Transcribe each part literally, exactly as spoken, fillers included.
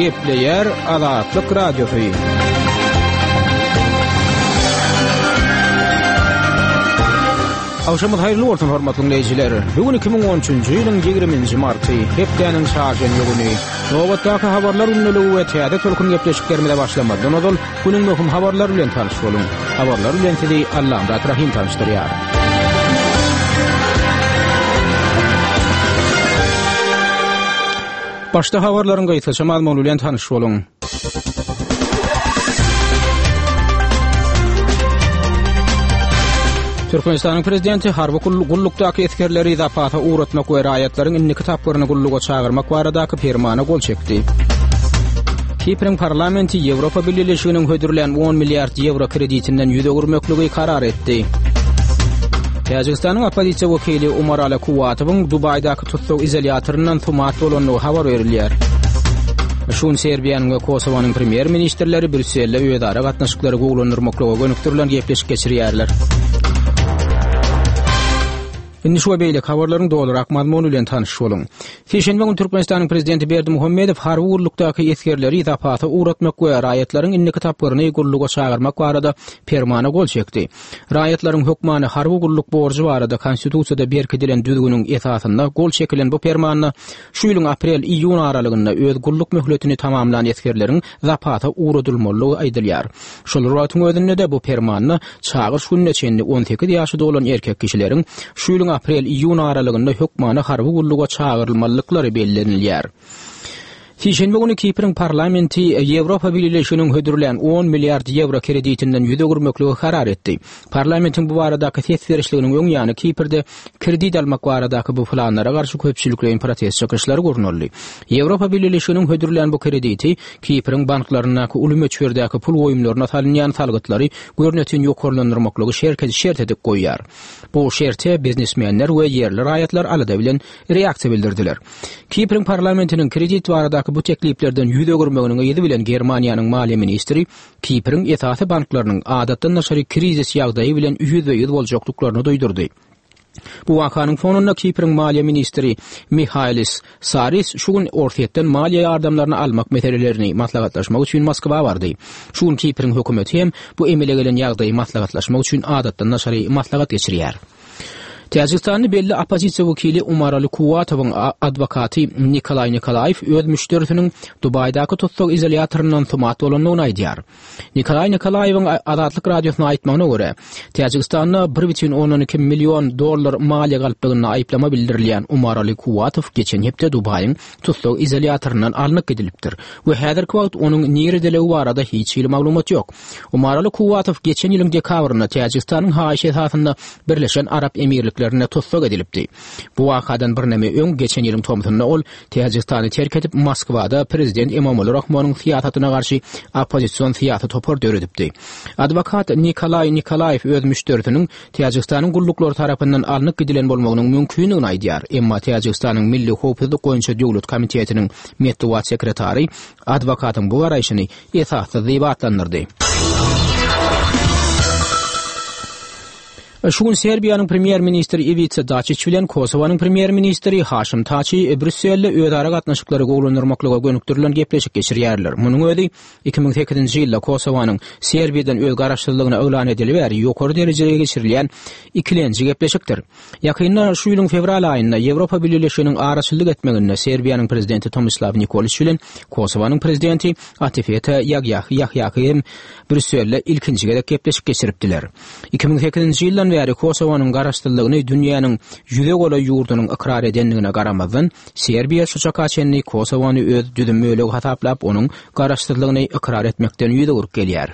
Gepleýär Azatlyk Radiosy. Agşamyz haýyrly bolsun hormatly dinleýjiler. Bu gün iki müň on üçünji ýylyň ýigriminji marty, hepdäniň çarşenbe güni. Nobatdaky habarlar gündeligi we täze tolkun gepleşiklerimize başlamazdan ozal günüň möhüm habarlary bilen tanyş boluň. Habarlar bilen sizi Allamyrat Rahym tanyşdyrýar. Başda habarlaryň gysgaça mazmuny bilen tanyş boluň. Türkmenistanyň prezidenti harby gullukdaky esgerleri zapasa ugratmak we raýatlaryň indiki tapgyryny gulluga çagyrmak baradaky permana gol çekdi. Kipriň parlamenti Ýewropa Bileleşiginiň hödürlän on milliard ýewro kreditinden ýüz öwürmekligi karar etdi. Täjigistanyň oppozisiýa wekili Umarali Kuwatowyň Dubaýdaky tussag izolýatoryndan sumat bolandygy habar berilýär. Şu gün Serbiýanyň we Kosowanyň premýer-ministrleri Brýusselde özara gatnaşyklary gowulandyrmaklyga gönükdirilen gepleşik geçirýärler. Indi şu we beýleki habarlaryň dolurak mazmuny bilen tanyş boluň. Sişenbe gün Türkmenistanyň Prezidenti Berdimuhamedow harby gullukdaky esgerleri zapasa ugratmak we raýatlaryň indiki tapgyryny gulluga çagyrmak barada permana gol çekdi. Raýatlaryň hökmany harby gulluk borjy barada Konstitusiýada berkidilen düzgüniň esasynda gol çekilen bu permanda şu ýylyň aprel-iýun aralygynda öz gulluk möhletini tamamlan esgerleriň zapasa ugradylmalydygy aýdylýar. Şol bir wagtyň özünde-de bu permanda çagyryş gününe çenli on sekiz ýaşy dolan erkek kişileriň şu ýylyň aprel-iýun aralygynda hökmany harby gulluga çagyrylmalydyklary bellenilýär. Sişenbe güni Kipriň parlamenti Ýewropa Bileleşiginiň hödürlän on milliard ýewro kreditinden ýüz öwürmekligi karar etdi. Parlamentiň bu baradaky ses berişliginiň öň ýany Kiprde kredit almak baradaky bu planlara garşy köpçülikleýin protest çykyşlary gurnaldy. Ýewropa Bileleşiginiň hödürlän bu krediti Kipriň banklaryndaky uly möçberdäki pul goýumlaryna salynýan salgytlary görnetin ýokarlandyrmaklygy şert edip goýýar. Bu şerte biznesmenler we ýerli raýatlar alada bilen reaksiýa bildirdiler. Kipriň parlamentiniň kredit baradaky bu tekliplerden ýüz öwürmeginiň yzy bilen Germaniýanyň maliýe ministri Kipriň esasy banklarynyň adatdan daşary krizis ýagdaýy bilen ýüzbe-ýüz boljakdyklaryny duýdurdy. Bu wakanyň fonunda Kipriň maliýe ministri Mihailis Saris şu gün Orsýetden maliýe ýardamlaryny almak meselelerini maslahatlaşmak üçin Moskwa bardy. Şu gün Kipriň hökümeti hem bu emele gelen ýagdaýy maslahatlaşmak üçin adatdan daşary maslahat geçirýär. Täjigistanly belli oppozisiýa wekili Umarali Kuwatowyň adwokaty Nikolaý Nikolaýew öz müşderisiniň Dubaýdaky tussag izolýatoryndan sumat bolandygyny aýdýar. Nikolaý Nikolaýewiň Azatlyk Radiosyna aýtmagyna görä, Täjigistanda bir bütin ondan iki million dollar maliýe galplygynda aýyplama bildirilýän Umarali Kuwatow geçen hepde Dubaýyň tussag izolýatoryndan alnyp gidilipdir we häzirki wagt onuň niredeligi barada hiç hili maglumat ýok. Umarali Kuwatow geçen ýylyň dekabrynda Täjigistanyň haýyşy esasynda Birleşen Arap Emirliklerinde tussag edilipdi. Bu wakadan birneme öň geçen ýylyň tomsunda ol Täjigistany terk edip Moskwada prezident Emomali Rahmonyň syýasatyna garşy oppozision syýasy topar döredipdi. Adwokat Nikolaý Nikolaýew öz müşderisiniň Täjigistanyň gulluklary tarapyndan alnyp gidilen bolmagynyň mümkindigini aýdýar, emma Täjigistanyň Milli howpsuzlyk boýunça döwlet komitetiniň metbugat sekretary adwokatyň bu garaýşyny esassyz diýip atlandyrdy. Şu gün Serbiýanyň premýer-ministri Iwica Daçiç bilen Kosowanyň premýer-ministri Haşim Taçi Brýusselde özara gatnaşyklary gowulandyrmaklyga gönükdirilen gepleşik geçirýärler. Munuň özi iki müň sekizinji ýylda Kosowanyň Serbiýadan öz garaşsyzlygyny yglan edeli bäri ýokary derejede geçirilýän ikilenji gepleşikdir. Ýakynda şu ýylyň fewral aýynda Ýewropa Bileleşiginiň araçyllyk etmeginde Serbiýanyň prezidenti Tomislaw Nikoliç bilen Kosowanyň prezidenti Atifeta Ýahýahi hem Brýusselde ilkinji gezek gepleşik geçiripdiler. Iki müň sekizinji ýyldan bäri Kosowanyň garaşsyzlygyny dünýäniň ýüze golaý ýurdunyň ykrar edendigine garamazdan, Serbiýa şu çaka çenli Kosowany öz düzüm bölegi hasaplap, onuň garaşsyzlygyny ykrar etmekden ýüz öwrüp gelýär.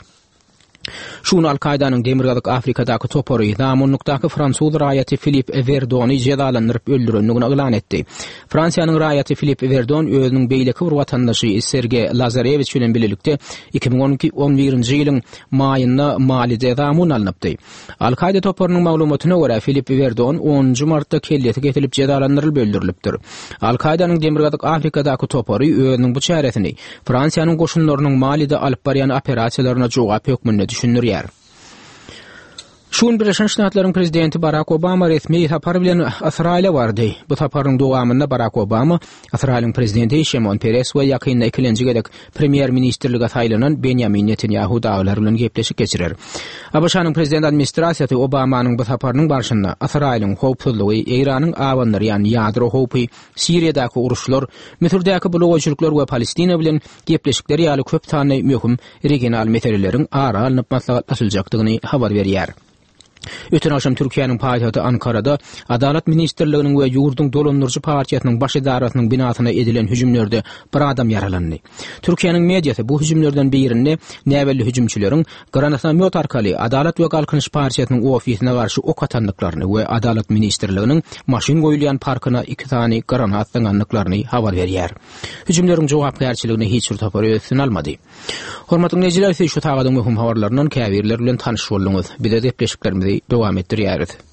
Şu gün Al-Kaýdanyň Demirgazyk Afrikadaky topary zamunlykdaky fransuz raýaty Filip Werdony jezalandyryp öldürendigini yglan etdi. Fransiýanyň raýaty Filip Werdon özüniň beýleki bir watandaşy Serge Lazarewiç bilen bilelikde iki müň on iki, on birinji ýylyň maýynda Malide zamun alnypdy. Al-Kaýda toparynyň maglumatyna görä, Filip Werdon onunjy martda kellesi kesilip jezalandyrylyp öldürilipdir. Al-Kaýdanyň Demirgazyk Afrikadaky topary özüniň bu çäresini Fransiýanyň goşunlarynyň Malide alyp barýan operasiýalaryna jogap hökmünde düşündirýär. Şu gün Birleşen Ştatlaryň prezidenti Barak Obama resmi sapar bilen Ysraýyla bardy. Bu saparyň dowamynda Barak Obama Ysraýylyň prezidenti Şimon Peres we ýakynda ikilenji gezek premýer-ministrlige saýlanan Benýamin Netanýahu dagylar bilen gepleşik geçirer. ABŞ-nyň prezident administrasiýasy Obamanyň bu saparynyň barşynda Ysraýylyň howpsuzlygy, Eýranyň abandyrýan ýadro howpy, Siriýadaky uruşlar, Müsürdäki bulagaýçylyklar we Palestina bilen gepleşikler ýaly köp sanly möhüm regional meseleleriň ara alnyp maslahatlaşyljakdygyny habar berýär. Öten agşam Türkiýäniň paýtagty Ankarada Adalat ministrliginiň we ýurduň dolandyryjy partiýasynyň baş edarasynyň binasyna edilen hüjümlerde bir adam ýaralandy. Türkiýäniň mediasy bu hüjümlerden birinde näbelli hüjümçileriň granatomýot arkaly Adalat we Galkynyş partiýasynyň ofisine garşy ok atandyklaryny we Adalat ministrliginiň maşyn goýulýan parkyna iki sany granat zyňandyklaryny habar berýär. Hüjümleriň jogapkärçiligini hiç bir topar öz üstüne almady. Hormatly dinleýjiler, siz şu sagadyň möhüm habarlaryndan käbirleri bilen tanyş bolduňyz. Bize gepleşiklerimizi dowam etdirýäris.